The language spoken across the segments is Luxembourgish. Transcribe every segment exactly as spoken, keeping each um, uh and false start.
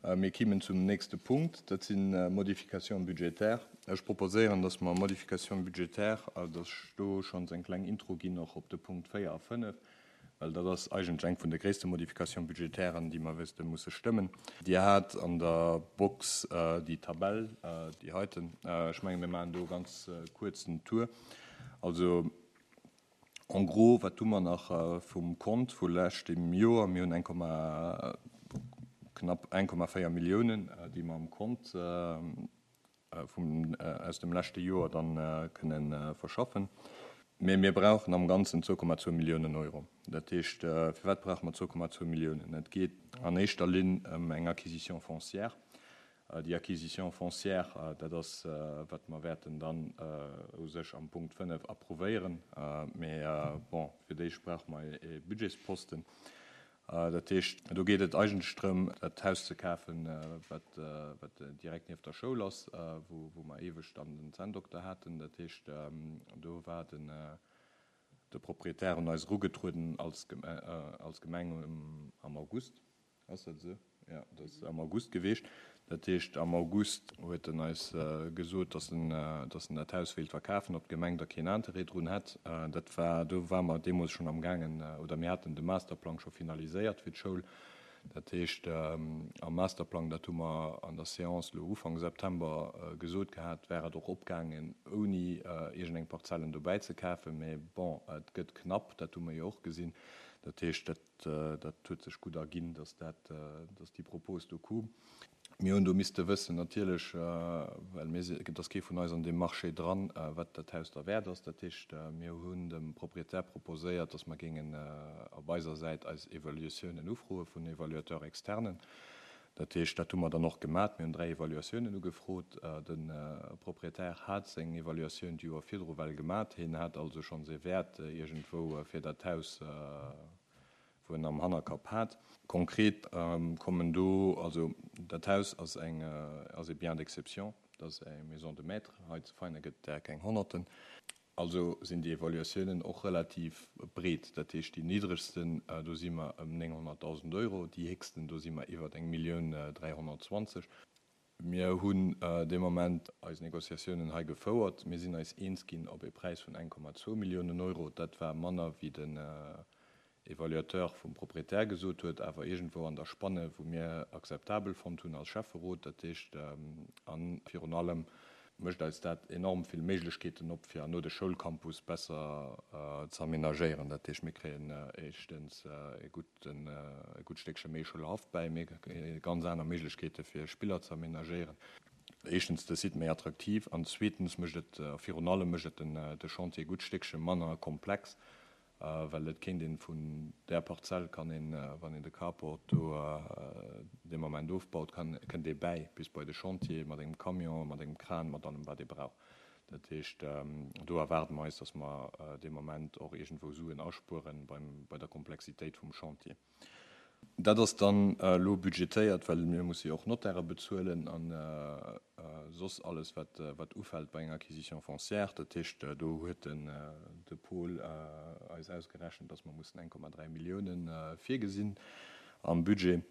Mir kimmen zum nächste Punkt, dat sinn Modifications budgétaires. Ech proposéieren, dass mer Modifications budgétaires, dass ech do schonns eng kleng Intro ginn och op de Punkt véier a fënnef, well dat ass eigentlech eng vun de gréisste Modifications budgétairen, déi mer wësste musse stëmmen. Dir hat an der Box déi Tabell, déi heiten. Ech menge mir maachen do e ganz kuerzen Tour. Also en gros, wat hu mer nach vum Kont vu leschtem Joer? Mir hunn eng Komma, knapp eng Komma véier Milliounen, déi mer am Kont vum, aus dem leschte Joer dann kënnen verschaffen. Mee mir brauchen am Ganzen zwou Komma zwou Milliounen Euro. Dat heescht, firwat brauche mer zwou Komma zwou Milliounen? Et geet an éischter Linn ëm eng Acquisition foncière. Déi Acquisition foncière, dat ass, wat mer wäerten dann u sech am Punkt fënnef approuvéieren. Mee bon, fir d'éischt brauche mer e Budgetsposten. Dat heescht, do geet et eigentlech drëm, dat Haus ze kafen, wat, wat direkt nieft der Schoul ass, wou, wou mer éiweg dann den Zänndokter haten. Dat heescht, do war den, de Proprietär un eis erugetrueden als, als Gemeng am August. Ass dat esou? Jo, dat ass am August geweecht. Dat heescht, am August huet en eis gesot, dass en, dass en dat Haus wéilt verkafen, ob d'Gemeng da keen Interêt drun hätt. Dat war, do ware mer deemools schonn amgaangen, oder mir haten de Masterplang scho finaliséiert fir d'Schoul. Dat heescht, am Masterplang, dat hu mer an der Séance elo Ufank September gesot gehat, wär et och opgaangen, ouni iergendeng Parzellen dobäi ze kafen. Mee bon, et gëtt knapp, dat hu mer jo och gesinn. Dat heescht, dat, dat huet sech gutt erginn, dass dat, dass déi Propos do koum. Mir hunn do misste wëssen natierlech, well mir si, et ass kee vun eis an deem Marché dran, wat dat Haus derwäert ass. Dat heescht, mir hunn dem Proprietär proposéiert, dass mer géingen op eiser Säit eis Evaluatiounen ufroe vun Evaluateurs externen. Dat heescht, dat hu mer dann och gemat. Mir hunn dräi Evaluatiounen ugefrot. De Proprietär hat seng Evaluatioun d'Joer virdru well gemat. Hien hat also schonns ee Wäert iergendwou fir dat Haus, wou en am Hannerkapp hat. Konkret kommen do, also dat Haus ass eng, ass ee Bien d'exception, dat ass eng Maison de maître, hei zu Veinen gëtt et där keng Honnerten. Also sinn déi Evaluatiounen och relativ breet. Dat heescht, déi niddregsten, do si mer ëm nénghonnertdausend Euro, déi héchsten, do si mer iwwert eng Millioun dräihonnertzwanzeg. Mir hunn dee Moment eis Négociatiounen hei gefouert. Mir sinn eis eens ginn op ee Präis vun eng Komma zwou Milliounen Euro. Dat war manner wéi den Evaluateur vum Proprietär gesot huet, awer iergendwou an der Spanne, wou mir akzeptabel fonnt hunn als Schäfferot. Dat heescht, a virun allem mécht eis dat enorm vill Méiglechkeeten op, fir herno de Schoulcampus besser ze amenagéieren. Dat heescht, mir kréien éischtens e gudden, e gutt Stéckche méi Schoulhaff bäi, mir kréie ganz aner Méiglechkeete fir Spiller ze amenagéieren. Éischtens de Site méi attraktiv an zweetens mécht et, a virun allem mécht et den, de Chantier e gutt Stéckche manner komplex. Well et kéint een vun där Parzell kann een, wann een de Carport do dee Moment ofbaut, kann, kënnt ee bäi bis bei de Chantier mat engem Camion, mat engem Kran, mat allem wat ee brauch. Dat heescht, do erwaarde mer eis, datt mer dee Moment och iergendwou Suen aspueren beim, bei der Komplexitéit vum Chantier. Dat ass dann elo budgetéiert, well mir musse jo och Notaire bezuelen a soss alles, wat ufält bei enger Acquisition foncière. Dat heescht, do huet de Paul eis ausgerechent, dass mer mussen eng Komma dräi Milliounen virgesinn am Budget.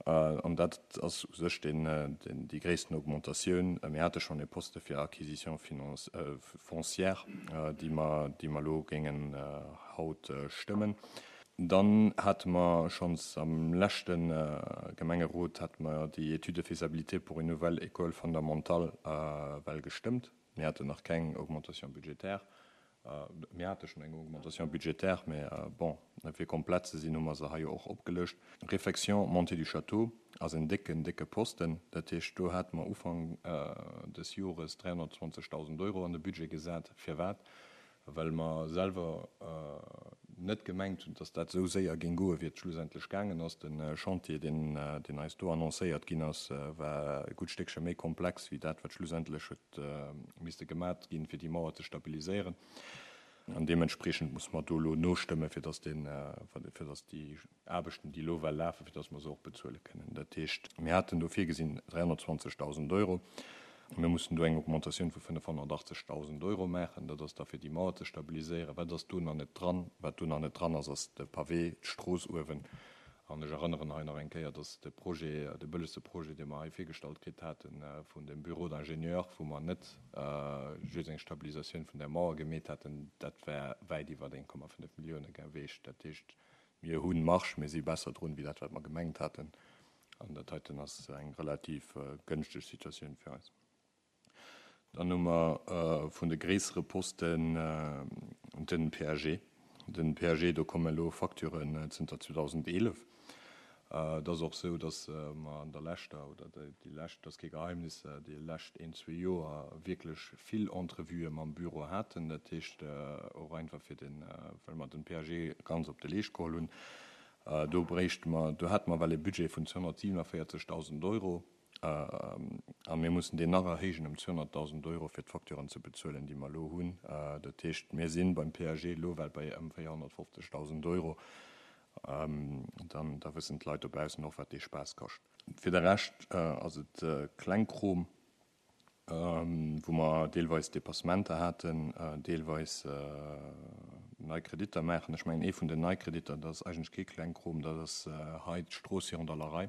An dat ass u sech déi gréissten Augmentatioun. Mir hate schonn e Poste fir Acquisition foncière, déi mer elo géingen haut stëmmen. Dann hate mer schonns am leschte Gemengerot hate mer déi Étude de faisabilité pour une nouvelle école fondamentale well gestëmmt. Mir haten nach keng Augmentation budgétaire. Mir hate schonn eng Augmentation budgétaire, mä bon, fir komplett ze sinn, hu mer se hei jo och opgelëscht. Réfection montée du château ass en décken, décke Posten. Dat heescht, do hate mer Ufank des Jores dräihonnertzwanzegdausend Euro an de Budget gesat. Firwat? Well mer selwer net gemengt hunn, dass dat esou séier géing goen, wéi et schlussendlech gaangen ass. De Chantier, deen eis do annoncéiert ginn ass, war e gutt Stéckche méi komplex wéi dat, wat schlussendlech huet misste gemat ginn, fir déi Mauer ze stabiliséieren. An deementspriechend musse mer do elo nostëmmen, fir dass deen, fir dass déi Aarbechten, déi elo well lafen, fir dass mer se och bezuele kënnen. Dat heescht, mir haten do virgesinn dräihonnertzwanzegdausend Euro. Mir mussen do eng Augmentatioun vu fënnefhonnertachtzegdausend Euro maachen. Dat ass da fir déi Mauer ze stabiliséieren. Wat ass do nach net dran? Wat do nach net dran ass, ass de Pavé, d'Strooss uewen An ech erënneren hei nach eng Kéier, dass de Projet, de bëllegste Projet, dee mer hei virgestallt kritt haten vun dem Bureau d'ingénieurs, wou mer net just eng Stabilisatioun vun där Mauer gemeet hätten, dat wär wäit iwwer een Komma fënnef Millioune geweecht. Dat heescht, mir hu Marge, mir si besser drun, wéi dat, wat mer gemengt haten. An dat heiten ass eng relativ gënschteg Situatioun fir eis. Dann hu mer vun de gréissere Posten den P A G. Den P A G, do komme elo Facturen zënter zweedausendeelef. Et ass och esou, datt mer an der leschter, oder déi lescht, dat ass kee Geheimnis, déi lescht een, zwee Joer wierklech vill Entrevuë mam Büro haten. Dat heescht och einfach fir den, well mer den P A G ganz op de Leescht geholl hunn. Do bréichte mer, do hate mer well e Budget vun zweehonnertsiewenavéierzegdausend Euro a mir mussen deen nach erhéijen ëm zweehonnertdausend Euro, fir d'Facturen ze bezuelen, déi mer elo hunn. Dat heescht, mir si beim P A G elo well bei ëm véierhonnertfofzegdausend Euro. Dann da wëssen d'Leit dobaussen och, wat dee Spaass kascht. Fir de Rescht ass et Klengkrom, wou mer deelweis Dépassementer haten, deelweis nei Kreditter maachen. Ech mengen, ee vun den nei Kreditter, dat ass eigentlech kee Klengkrom, dat ass hei d'Strooss virun der Larei.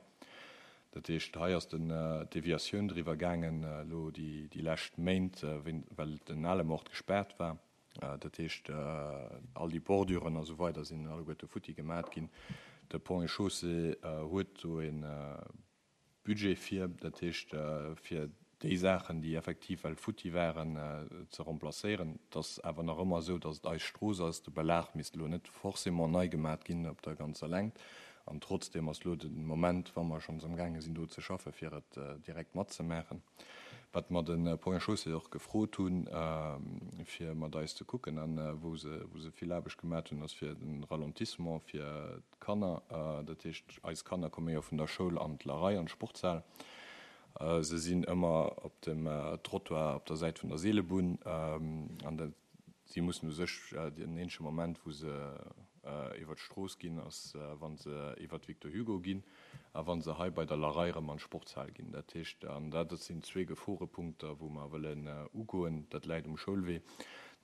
Dat heescht, hei ass den d'Deviatioun driwwer gaangen elo déi lescht Méint, well den ale Mord gespaart war. Dat heescht, all déi Borduren a sou weider sinn alleguerte futti gemat ginn. De Ponts et Chaussées huet do e Budget fir, dat heescht, fir déi Saachen, déi effektiv well futti waren, ze remplacéieren. Et ass awer nach ëmmer esou, datt et eis Strooss ass. De Belag misst elo net forcément nei gemat ginn op der ganzer Längt. An trotzdeem ass elo de Moment, wa mer schonns amgaange sinn do ze schaffen, fir et direkt matzemaachen. Wat mer de Ponts et Chaussées och gefrot hunn, fir mat eis ze kucken, an wou se wou se vill Aarbecht gemat hunn, ass fir de Ralentissement fir d'Kanner. Dat heescht, eis Kanner komme jo vun der Schoul an d'Larei, an d'Sportshal. Se sinn ëmmer op dem Trottoir op der Säit vun der Seelebunn an dat si mussen u sech den eenzege Moment, wou se iwwer d'Strooss ginn, ass wa se iwwer d'Victor Hugo ginn a wa se hei bei der Larei erëm an d'Sportshal ginn. Dat heescht, an dat sinn zwee Geforepunkter, wou mer wëllen ugoen. Dat läit um Schoulwee.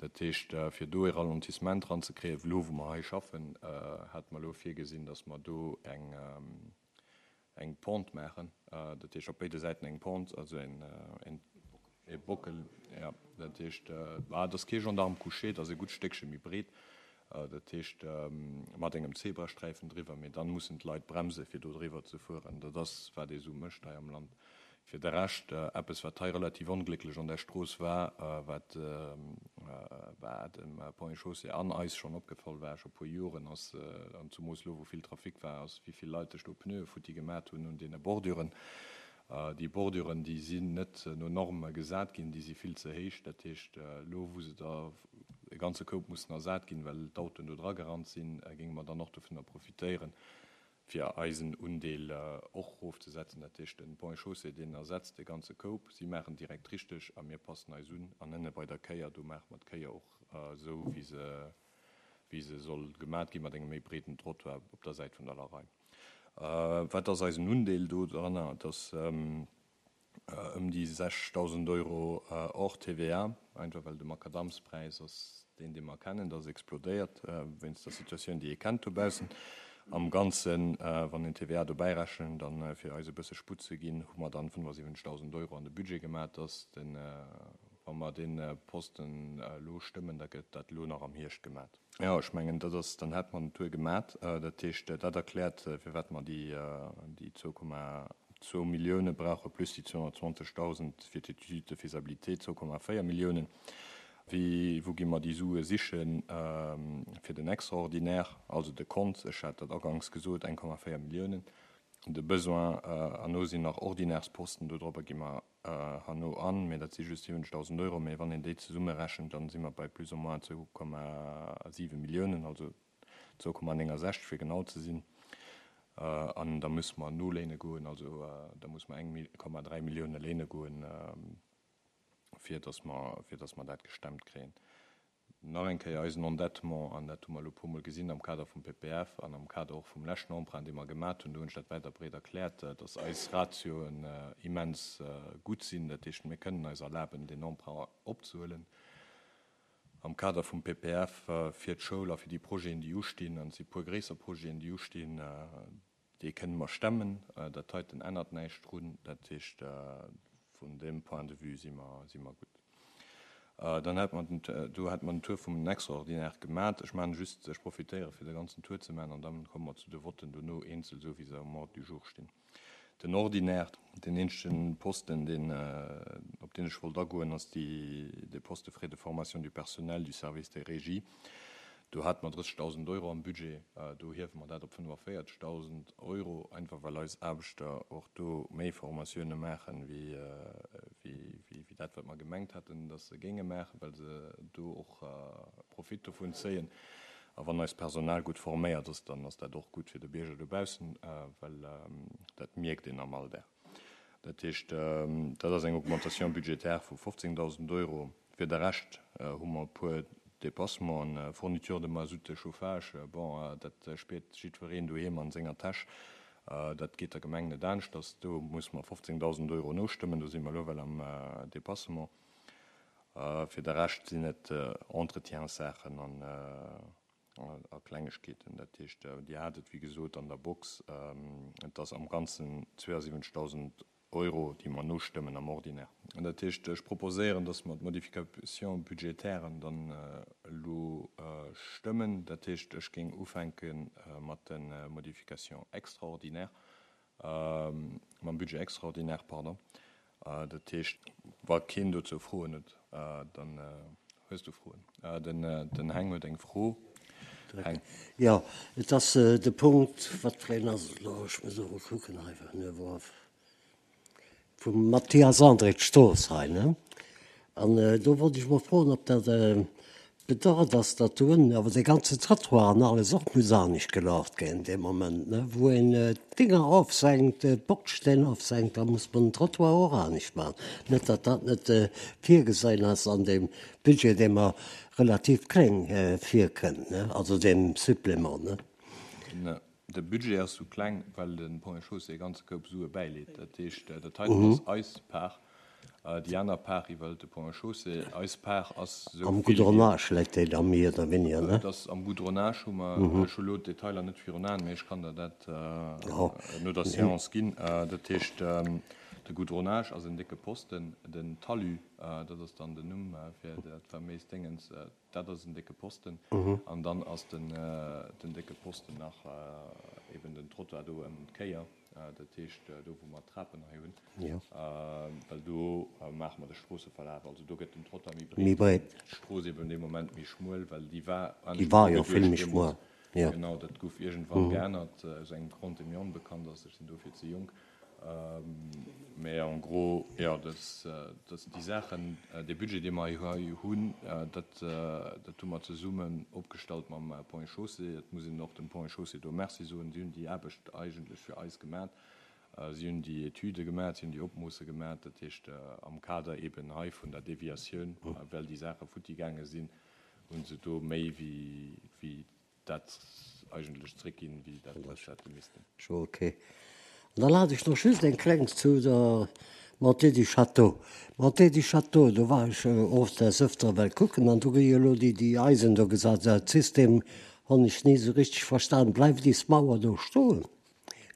Dat heescht, fir do e Ralentissement eranzekréien, elo wou mer hei schaffen, hate mer elo virgesinn, datt mer do eng eng Pente maachen, dat heescht op béide Säiten eng Pente, also en e Bockel, jo. Dat heescht, dat ass kee Gendarme couché, dat ass e gutt Stéckche méi breet, dat heescht mat engem Zebrasträifen driwwer, mee dann mussen d'Leit bremse fir do driwwer ze fueren. Dat ass wat ee sou mécht hei am Land. Fir de Rescht, eppes wat hei relativ onglécklech an der Strooss war, wat war dem Ponts et Chaussées an eis schonn opgefall war scho puer Joren, ass, an zumoos elo wou vill Trafic war, ass wéi vill Leit sech do Pneue futti gemat hunn un deene Borduren. Déi Borduren, déi sinn net no Norme gesat ginn, déi si vill ze héich. Dat heescht, elo wou se der e ganze Koup mussen ersat ginn, well d'Autoen do dra gerannt sinn, géinge mer dann och dovunner profitéieren, fir eisen Undeel och erofzesetzen. Dat heescht, den Ponts et Chaussées, deen ersetzt de ganze Koup. Si maachen direkt richteg a mir passen eis un. An ënne bei der Kéier, do maache mer d'Kéier och esou, wéi se wéi se soll gemat ginn, mat engem méi breeden Trottoir op der Säit vun der Larei. Wat ass eisen Undeel do dranner? Et ass ëm déi sechsdausend Euro hors T V A, einfach well de Makadamspräis ass deen, dee mer kennen, dat ass explodéiert wéinst der Situatioun, déi ee kennt dobaussen. Am Ganzen, wann een T V A dobäi rechent, dann fir eis e bësse Sputt ze ginn, hu mer dann fënnefasiwwenzegdausend Euro an de Budget gemat. Dass den, wa mer dee Posten elo stëmmen, da gëtt dat elo nach am Hierscht gemat. Jo, ech mengen, dat ass, dann hätt mer den Tour gemat. Dat heescht, dat erkläert, firwat mer déi déi zwou Komma zwou Millioune brauche plus déi zweehonnertzwanzegdausend fir d'Étude de faisabilité, zwou Komma véier Milliounen. Wéi, wou gi mer déi Sue sichen fir den Extraordinaire, also de Kont, ech hat dat aganks gesot, eng Komma véier Milliounen. De Besoin herno sinn nach Ordinärsposten, dodropper gi mer herno an, mee dat si just siwwenzegdausend Euro. Mee wann een déi zesummerechent, dann si mer bei plus ou moins zwou Komma siwe Milliounen, also zwou Komma néngensechzeg fir genau ze sinn. An da musse mer noléine goen, also da muss mer eng Komma dräi Millioune léine goen, fir dass mer, fir dass mer dat gestemmt kréien. Nach eng Kéier eisen Endettement, an dat hu mer elo e puermol gesinn am Kader vum P P F an am Kader och vum leschten Emprunt, dee mer gemat hunn, do hunn ech dat wäit a breet erkläert, dass eis Ratioen immens gutt sinn. Dat heescht, mir kënnen eis erlaben, deen Emprunt opzehuelen am Kader vum P P F fir d'Schoul a fir déi Projeten, déi ustinn, an et si puer gréisser Projeten, déi ustinn. Dee kënne mer stemmen. Dat heiten ännert näischt drun. Dat heescht, vun deem Point de vue si mer, si mer gutt. Dann hätt mer den, do hätt mer den Tour vum Extraordinaire gemat. Ech maachen just, ech profitéiere fir de ganzen Tour ze maachen an dann komme mer zu de Votten dono eenzel, esou wéi se am Ordre du jour stinn. Den Ordinaire, deen eenzegen Posten, deen, op deen ech wollt agoen, ass déi, de Poste Frais de formation du personnel du service des régies. Do hate mer drëssegdausend Euro am Budget, do hiewe mer dat op fënnefavierzeghdausend Euro, einfach well eis Aarbechter och do méi Formatioune maachen, wéi dat, wat mer gemengt haten, datt se géinge maachen, well se do och Profit dovun zéien. A wann eist Personal gutt forméiert ass, dann ass dat och gutt fir de Bierger dobaussen, well dat mierkt een am Alldag. Dat heescht, dat ass eng Augmentation budgétaire vu fofzéngdausend Euro. Fir de Rescht hu mer e puer Dépassementen, Fourniture de mazout de chauffage, bon, dat spiert jiddwereen doheem an senger Täsch. Dat geet der Gemeng net aneschters. Do muss mer fofzéngdausend Euro nostëmmen. Do si mer elo well am Dépassement. Fir de Rescht sinn et Entretienssaachen an a Klengegkeeten. Dat heescht, Dir hat et, wéi gesot, an der Box. Et ass am Ganzen zweeasiwwenzegdausend Euro, déi mer nostëmmen am Ordinaire. Dat heescht, ech proposéieren, dass mer d'Modification budgétairen dann elo stëmmen. Dat heescht, ech géing ufänke mat de Modifications extraordinaires, mam Budget extraordinaire, pardon. Dat heescht, wa keen dozou Froen huet, dann hues du Froen. Den Heng huet eng Fro. Heng. Jo, et ass de Punkt, wat fir een ass et elo? Ech muss emol kucken hei, vum Mathias André, d'Strooss hei, ne? An do wollt ech mol froen, ob dat bedeit ass, datt do ënnen awer dee ganze Trottoir an alles och muss anescht gelaacht ginn dee Moment, ne? Wou een d'Dinger ofsenkt, d'Bordsteng ofsenkt, da muss man den Trottoir och anescht maachen. Net, datt dat net virgesinn ass an deem Budget, dee mer relativ kléng virkënnt, ne? Also deem Supplément, ne? De Budget ass sou kleng, well de Ponts et Chaussées e ganze Koup Sue bäileet. Dat heescht, dat heiten ass eis Part, déi aner Part iwwerhëlt de Ponts et Chaussées. Eis Part ass sou Am vill wéi. Goudronnage läit déi da méi oder weniger, ne? Et ass am Goudronnage, hu mer, ech hu elo d'Detailer net virun Aen, mee ech kann der dat no der Séance ginn. Dat heescht, de Goudronnage ass en décke Posten, den Talus, dat ass dann den Numm fir dat faméist Déngens, Dat ass en décke Posten. An dann ass den décke Posten nach eben den Trottoir do ëm d'Kéier, dat heescht do wou mer d'Trapen hei hunn, well do maache mer de Stroosseverlaf. Also do gëtt den Trottoir méi breet, d'Strooss eben dee Moment méi schmuel, well déi war anescht ugeduecht deemools. Genau, dat gouf iergendwann geännert, aus engem Grond, dee mir onbekannt ass, ech sinn dofir ze jonk. Mä en gros, jo, dat déi Saachen, dee Budget, dee mer hei hunn, dat dat hu mer zesummen opgestallt mam Ponts et Chaussées. Et muss een och dem Ponts et Chaussées do Merci soen. Si hunn déi Aarbecht eigentlech fir eis gemat. Si hunn déi Etüde gemat, si hunn déi Opmoosse gemat, dat heescht am Kader eeben hei vun der Deviatioun, well déi Saache futti gaange sinn, hu se do méi wéi dat eigentlech zréckginn, wéi dat wat se hätte missten. Scho ok. An dann hat ech nach just eng kleng zu der Montée du Château. Montée du Château, do war ech och des Öfteren well kucken an do gi jo elo déi déi Eisen do gesat. Dat System honn ech ni esou richteg verstan. Bleift is Mauer do stoen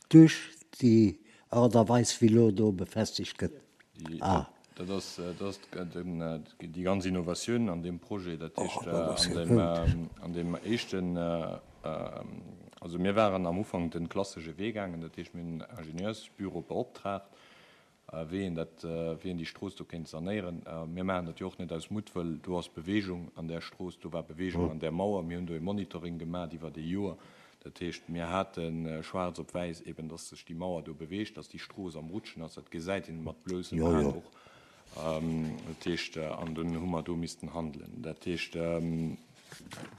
duerch déi Art a Weis wéi elo do befestegt gëtt? Ah. Dat ass, dat ass déi ganz Innovatioun an deem Projet. Dat heescht, an deem éischten, also mir waren am Ufank de klassesche Wee gaangen, dat heescht, mir hunn en Ingenieursbüro beoptraagt, wéi een dat, wéi een déi Strooss do kéint sanéieren. Mir maachen dat jo och net aus Muttwëll. Do ass Bewegung an där Strooss, do war Bewegung an där Mauer. Mir hunn do e Monitoring gemaach iwwert ee Joer. Dat heescht, mir hate schwaarz op wäiss eben, dass sech déi Mauer do beweegt, dass déi Strooss am Rutschen ass. Dat gesäit een mat bloussem Aen och. Dat heescht, an dunn hu mer do missten handelen. Dat heescht,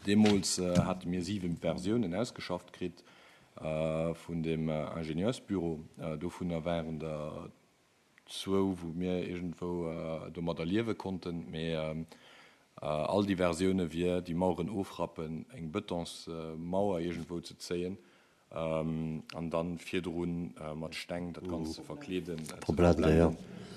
deemools hate mir siwe Versiounen ausgeschafft kritt vun deem Ingenieursbüro. Dovunner waren der zwou, wou mir iergendwou domadder liewe konnten, mee all déi Versioune wier, déi Maueren ofrappen, eng Betonsmauer iergendwou ze zéien an dann virdru mat Steng dat Ganzt ze verkleeden, ze verblenden.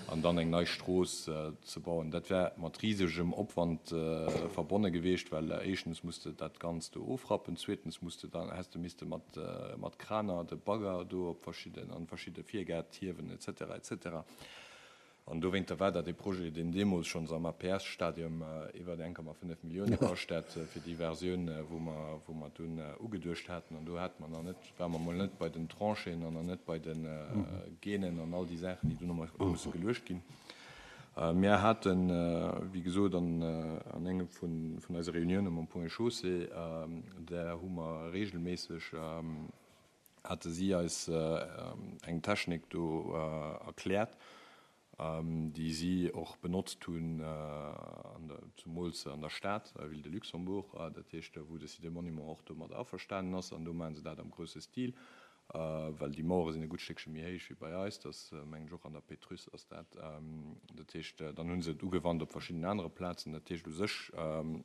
an dann eng nei Strooss ze bauen. Dat wär mat risegem Opwand verbonne gewiescht, well éischtens muss de dat Ganzt do ofrappen, zweetens muss de dann, häss de misste mat, mat Kraner de Bagger do op verschidden, an verschidde Virgäert hiewen et cetera et cetera. An dowéinter war dat e Projet, deen deemools schonns am A P S-Stadium iwwer eng Komma fënnef Millioune kascht hätt, fir déi Versioun, wou mer, wou mer dunn ugeduecht haten. An do hate mer nach net, ware mer mol net bei den Tranchéen an nach net bei de Gainen an all déi Saachen, déi dunn nach musse geluecht ginn. Mir haten, wéi gesot, an, an engem vun, vun eise Reunioune mam Ponts et Chaussées, där hu mer regelméisseg, hate si eis eng Technik do erkläert, déi si och benotzt hunn, zumools an der Stad, Ville de Luxembourg, dat heescht, wou de Site des Monuments och domat averstanen ass. An do maache se dat am grousse Stil, well déi Mauere sinn e gutt Stéckche méi héich wéi bei eis. Dat ass, mengen ech, och an der Pétrusse ass dat. Dat heescht, dann hu se et ugewannt op verschiddenen anere Plazen. Dat heescht, u sech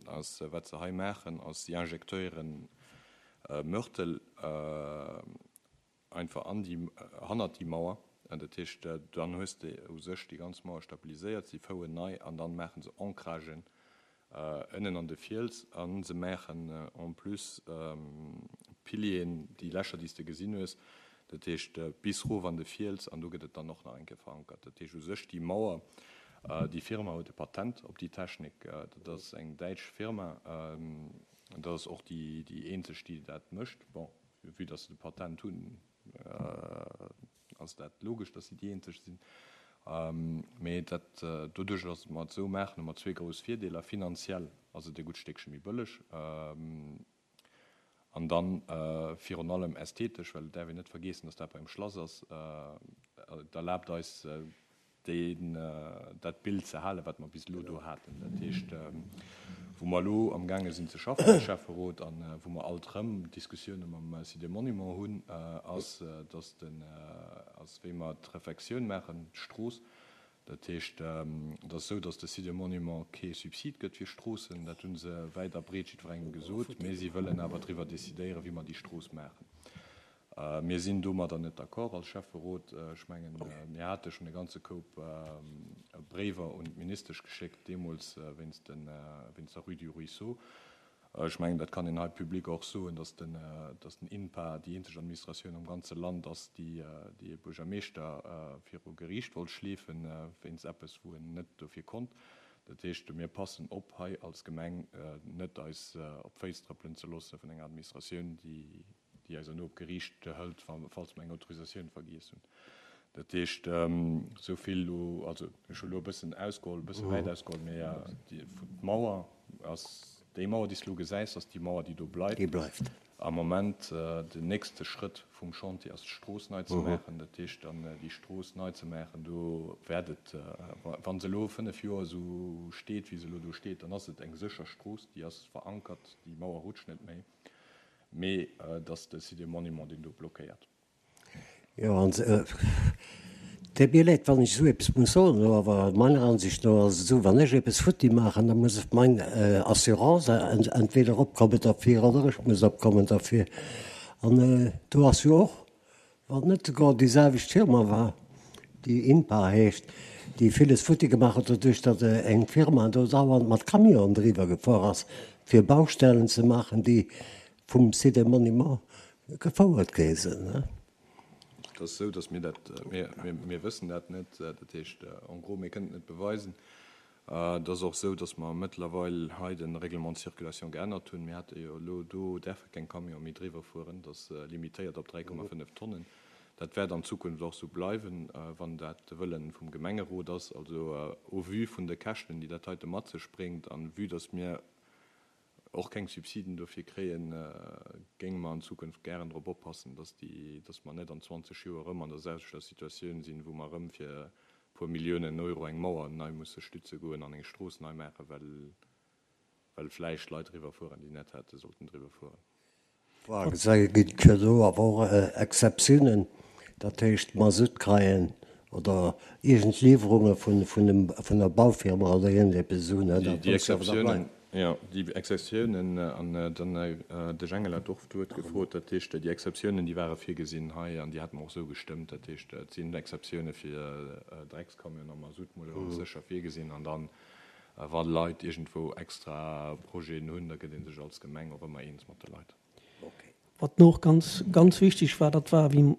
ass, wat se hei maachen, ass, si injektéieren Mörtel einfach an déi, hannert déi Mauer. Dat heescht, dann hues de u sech déi ganz Mauer stabiliséiert, si fouen nei an dann maache se Ancragen ënnen an de Fiels a se maachen en plus Pilieren, déi Lächer, déi s de gesinn hues, dat heescht bis rof an de Fiels an do gëtt et dann och nach eng Kéier verankert. Dat heescht u sech déi Mauer, déi Firma huet e Patent op déi Technik, dat ass eng däitsch Firma, dat ass och déi eenzeg, déi dat mécht. Bon, vue dass se de Patent hunn, ass dat logesch, dass si déi eenzeg sinn. Mee dat, doduerch, dass mer et esou maachen, hu mer zwee grouss Virdeeler. Finanziell ass et e gutt Stéckche méi bëlleg an dann virun allem ästhetesch, well et däerf een net vergeessen, dass dat beim Schlass ass. Et erlaabt eis, deen, dat Bild ze halen, wat mer bis elo do haten. Dat heescht, wou mer elo amgaange sinn ze schaffen als Schäfferot a wou mer alt erëm Diskussioune mam Site des Monuments hunn, ass, dass den, ass wéi mer d'Refektioun maachen, d'Strooss. Dat heescht, et ass esou, dass de Site des Monuments kee Subsid gëtt fir Stroossen. Dat hu se wäit a breet jiddwerengem gesot. Mee si wëllen awer driwwer decidéieren, wéi mer déi Strooss maachen. Mir sinn domadder net d'accord als Schäfferot. Ech mengen, mir hate schonn e ganze Koup Bréiwer un d'Ministesch geschéckt, deemools wéinst den, wéinst der Rue du Ruisseau. Ech mengen, dat kann een hei public och soen, dass den, dass den INPA déi eenzeg Administratioun am ganze Land ass, déi, déi e Buergermeeschter viru Geriicht wollt schleefen, wéinst eppes, wou en net dofir konnt. Dat heescht, mir passen op, hei als Gemeng net eis op d'Féiss trëppelen ze loosse vun enger Administratioun, déi, déi eis herno op Geriicht hëlt, falls mer eng Autorisatioun vergiess hunn. Dat heescht, esou vill elo, also ech hu elo e bëssen ausgeholl, e bësse wäit ausgeholl, mee d'Mauer ass, déi Mauer, déi s de elo gesäis, ass déi Mauer, déi do bleift. Déi bleift. Am Moment, den nächste Schrëtt vum Chantier ass, d'Strooss nei ze maachen. Dat heescht dann, déi Strooss nei ze maachen, do wäert et, wa se elo fënnef Joer esou steet, wéi se elo do steet, dann ass et eng sécher Strooss, déi ass verankert, déi Mauer rutscht net méi. Mee et ass de Site des Monuments, deen do blockéiert. Jo, an et deet mir leed, wann ech esou eppes muss soen, awer meiner Ansicht no ass et esou, wann ech eppes futti maachen, da muss meng Assurance entweder opkommen derfir oder ech muss opkommen derfir. An do ass jo och, wann net souguer déi selwecht Firma war, déi INPA heescht, déi villes futti gemaach huet, doduerch datt eng Firma do dauernd mat Camionen driwwer gefuer ass, fir Baustellen ze maachen, déi vum Site des Monuments gefouert gi sinn. Et ass esou, datt mir dat, mir, mir wëssen dat net. Dat heescht, en gros, mir kënnen et net beweisen. Et ass och esou, datt mer mëttlerweil hei de Règlement de circulation geännert hunn. Mir hate jo elo, do däerfe keng Camione méi driwwer fueren. Dat ass limitéiert op dräi Komma fënnef Tonnen. Dat wäert an Zukunft och esou bleiwen, wann dat de Wëlle vum Gemengerot ass. Also au vu vun de Käschten, déi dat heite mat sech bréngt, an vue datt mir och keng Subsiden dofir kréien, géinge mer an Zukunft gären drop oppassen, dass déi, dass mer net an zwanzeg Joer erëm an der selwechter Situatioun sinn, wou mer erëm fir e puer Milliounen Euro eng Mauer nei musse stütze goen an eng Strooss nei maachen, well, well vläicht Leit driwwer fueren, déi net hätte sollten driwwer fueren. Et ginn jo do awer och Exceptiounen, dat heescht Masutt kreien oder iergend Liwwerunge vun, vun dem, vun der Baufirma oder iergendeppes esou, ne, Déi, dat déi muss jo awer da Exceptiounen, bleiwen. Jo, déi Exceptiounen, an dann de Jengel hat och d'Wuert gefrot, dat heescht, déi Exceptiounen, déi ware virgesinn hei an déi hate mer och esou gestëmmt. Dat heescht, et sinn Exceptioune fir Dreckscamion a Mazoutmouleur ganz sécher virgesinn. An dann, wa Leit iergendwou extra Projeten hunn, da gëtt ee sech als Gemeng och ëmmer eens mat de Leit. Wat och ganz, ganz wichteg war, dat war, wéi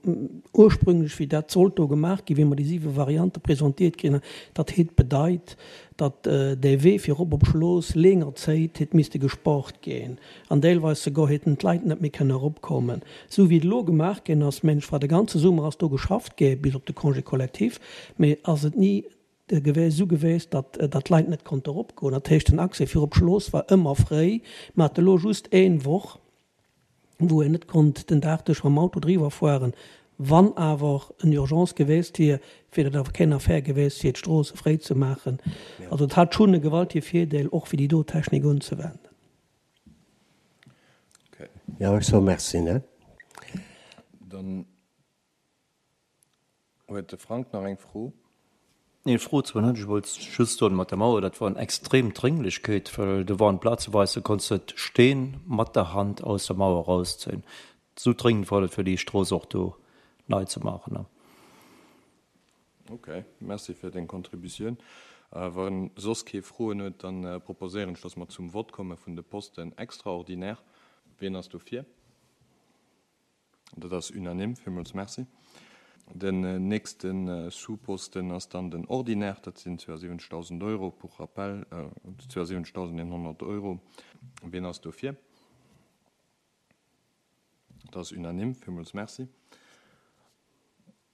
ursprünglech, wéi dat sollt do gemaach ginn, wéi mer déi siwe Variante presentiert kritt hunn, dat hätt bedeit, datt dee Wee fir erop op Schlooss länger Zéit hätt misste gespart ginn an deelweis souguer hätten d'Leit net méi kënne eropkommen. Esou wéi et elo gemaach ginn ass, mengen ech, war de ganze Summer ass do geschafft gi bis op de Congé collectif, mee ass et ni esou geweest, datt datt d'Leit net konnte eropgoen. Dat heescht, den Accès fir op d'Schlooss war ëmmer fréi. Mer hate elo just een Woch, wou een net konnt den Dag duerch mam Auto driwwer fueren. Wann awer en Urgence geweest wier, wier dat awer keng Affaire geweest, fir d'Stroosse fréi ze maachen. Also et hat schonn e gewaltige Virdeel, och fir déi do Technik unzewenden. Jo, ech soe Merci, ne? Dann huet de Frank nach eng Fro. Nee, Fro zwar net, ech wollt just soen, mat der Mauer, dat war eng extrem Dringlichkeet, well do waren plazeweis, do konns de d'Steen mat der Hand aus der Mauer erauszéien. Esou dringend war dat, fir déi Strooss och do nei ze maachen. Ok, merci fir deng Contributioun. Wa soss kee Froen huet, da proposéieren ech, dass mer zum Vott komme vun de Posten extraordinaire. Wien ass dofir? Dat ass unanime. Villmools merci. Den nächste Sous-Posten ass dann den Ordinaire. Dat sinn zwouasiwwenzegdausend Euro, pour rappel, zwouasiwwenzegdausendeenhonnert Euro. Wien ass dofir? Dat ass unanime. Villmools merci.